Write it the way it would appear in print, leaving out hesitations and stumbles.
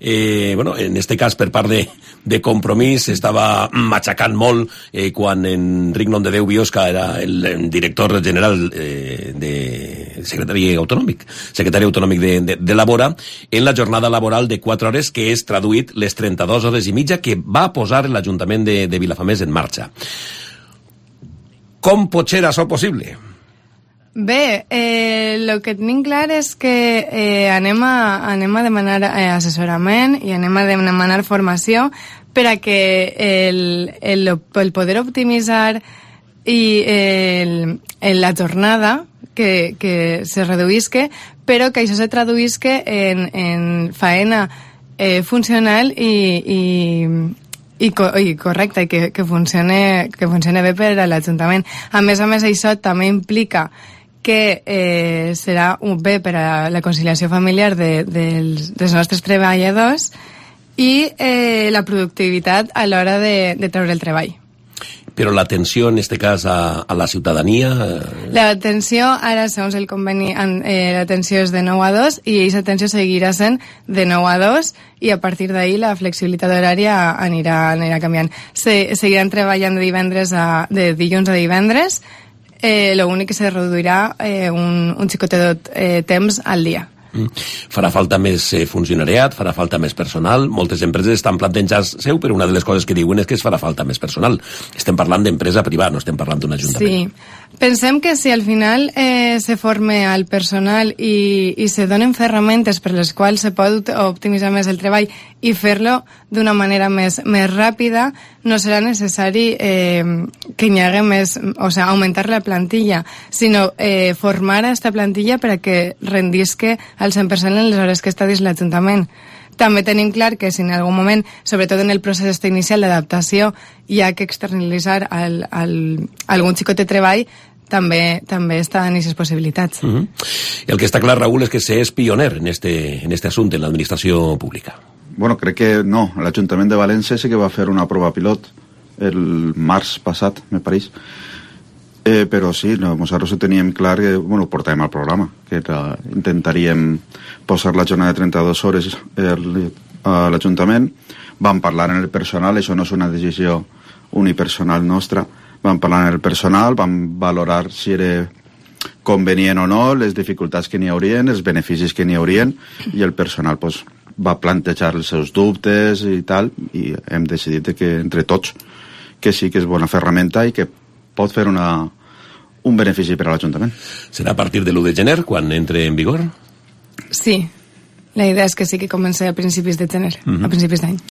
Bueno, en este cas, per part de Compromís, estava matxacant molt quan Enric Nomdedeu Biosca era el director general de secretari autonòmic de Labora, en la jornada laboral de 4 hores, que és traduït les 32 hores i mitja que va posar l'Ajuntament de Vilafamés en marxa. Com pot ser això possible? Bé, el que tenim clar és que anem a demanar assessorament i anem a demanar formació per a que el poder optimitzar i la jornada que se reduïsque, però que això se traduïsque en faena funcional i correcta, i que funcione bé per a l'Ajuntament. A més, això també implica que serà bé per a la conciliació familiar dels nostres treballadors i la productivitat a l'hora de treure el treball. Però l'atenció, en aquest cas, a la ciutadania... L'atenció, ara, segons el conveni, l'atenció és de 9 a 2 i aquesta atenció seguirà sent de 9 a 2 i a partir d'ahir la flexibilitat horària anirà canviant. Seguiran treballant de dilluns a divendres, l'únic que se reduirà un xicotet temps al dia. Farà falta més funcionariat, farà falta més personal. Moltes empreses estan plantejant-se, però una de les coses que diuen és que es farà falta més personal. Estem parlant d'empresa privada, no estem parlant d'un ajuntament. Sí, pensem que si al final se forme al personal i se donen ferramentes per les quals se pot optimitzar més el treball i fer-lo d'una manera més ràpida, no serà necessari que hi hagi més, o sigui, augmentar la plantilla, sinó formar aquesta plantilla per a que rendisque al 100% en les hores que està dins l'Ajuntament. També tenim clar que si en algun moment, sobretot en el procés inicial d'adaptació, hi ha que externalitzar algun xicot de treball, també estan aquestes possibilitats. El que està clar, Raül, és que s'és pioner en este assumpte, en l'administració pública. Bueno, crec que no. L'Ajuntament de València sí que va fer una prova pilot el març passat, me pareix. Però sí, nosaltres ho teníem clar que, bueno, ho portàvem al programa, que intentaríem posar la jornada de 32 hores a l'Ajuntament. Vam parlar en el personal, això no és una decisió unipersonal nostra. Vam parlar en el personal, vam valorar si era convenient o no, les dificultats que n'hi haurien, els beneficis que n'hi haurien, i el personal va plantejar els seus dubtes i tal, i hem decidit que entre tots que sí que és bona ferramenta i que pot fer un benefici per a l'Ajuntament. Serà a partir de l'1 de gener, quan entre en vigor? Sí, la idea és que sí que comenci a principis de gener, a principis d'any.